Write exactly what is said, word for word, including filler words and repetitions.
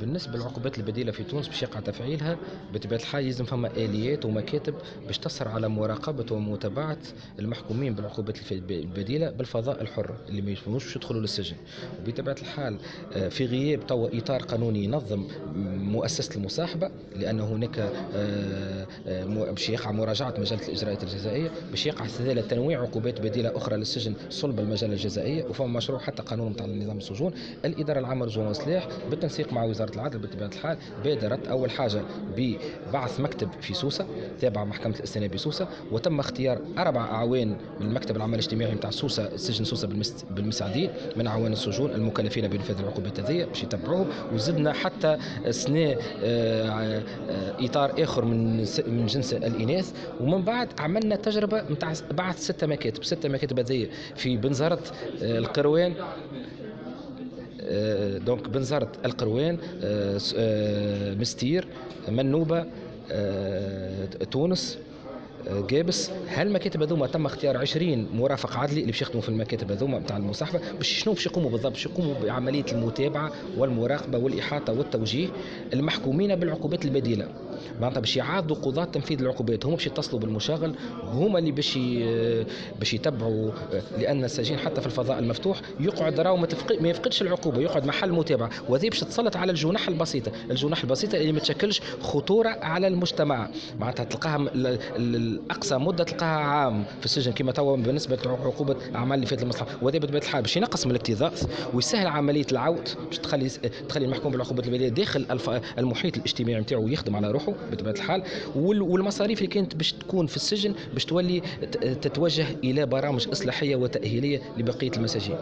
بالنسبة للعقوبات البديلة في تونس باش يقع تفعيلها بطبيعة الحال يلزم فما اليات ومكاتب باش تسهر على مراقبة ومتابعة المحكومين بالعقوبات البديلة بالفضاء الحر اللي ما يفهموش باش يدخلوا للسجن. وبطبيعة الحال آه، في غياب توا اطار قانوني ينظم مؤسسة المصاحبة، لان هناك آه، آه، باش يقع مراجعه مجلة الاجراءات الجزائيه، باش يقع استدلال تنويع عقوبات بديله اخرى للسجن صلب المجلة الجزائيه، وفما مشروع حتى قانون نتاع نظام السجون. الادارة العامة للسجون والإصلاح بالتنسيق مع وزارة العدل بطبيعة الحال بادرت اول حاجة ببعث مكتب في سوسة تابع محكمة الاستئناف بسوسه، وتم اختيار اربع اعوان من المكتب العمل الاجتماعي نتاع سوسة، سجن سوسة بالمسعدين، من اعوان السجون المكلفين بانفاذ العقوبات هذه باش يتبعوهم. وزدنا حتى سنة آه، آه، اطار اخر من من جنس الاناث. ومن بعد عملنا تجربه نتاع بعث ستة مكاتب، ستة مكاتب هذه في بنزرت، آه، القروان، donc بنزرت، القروان، مستير، منوبه، تونس، قابس. هالمكاتب هذوما تم اختيار عشرين مرافق عدلي اللي باش يخدموا في المكاتب هذوما نتاع المصاحبة. باش شنو باش يقوموا بالضبط؟ باش يقوموا بعملية المتابعة والمراقبة والاحاطة والتوجيه المحكومين بالعقوبات البديلة. معناتها باش يعاضدوا قضاة تنفيذ العقوبات، هما باش يتصلوا بالمشغل، هما اللي باش باش يتبعوا، لان السجين حتى في الفضاء المفتوح يقعد راهو ما, ما يفقدش العقوبة، يقعد محل متابعه. وهذه باش تتسلط على الجنح البسيطة، الجنح البسيطة اللي ما تشكلش خطورة على المجتمع، معناتها تلقاها اقصى مده تلقاها عام في السجن كما توا بالنسبة لعقوبة اعمال اللي فات المصلحة. وهذا بطبيعة الحال باش ينقص من الاكتظاظ ويسهل عملية العود، باش تخلي تخلي المحكوم بالعقوبات البديلة داخل المحيط الاجتماعي نتاعو ويخدم على روحه بطبيعة الحال. والمصاريف اللي كانت باش تكون في السجن باش تولي تتوجه الى برامج اصلاحية وتاهيليه لبقية المساجين.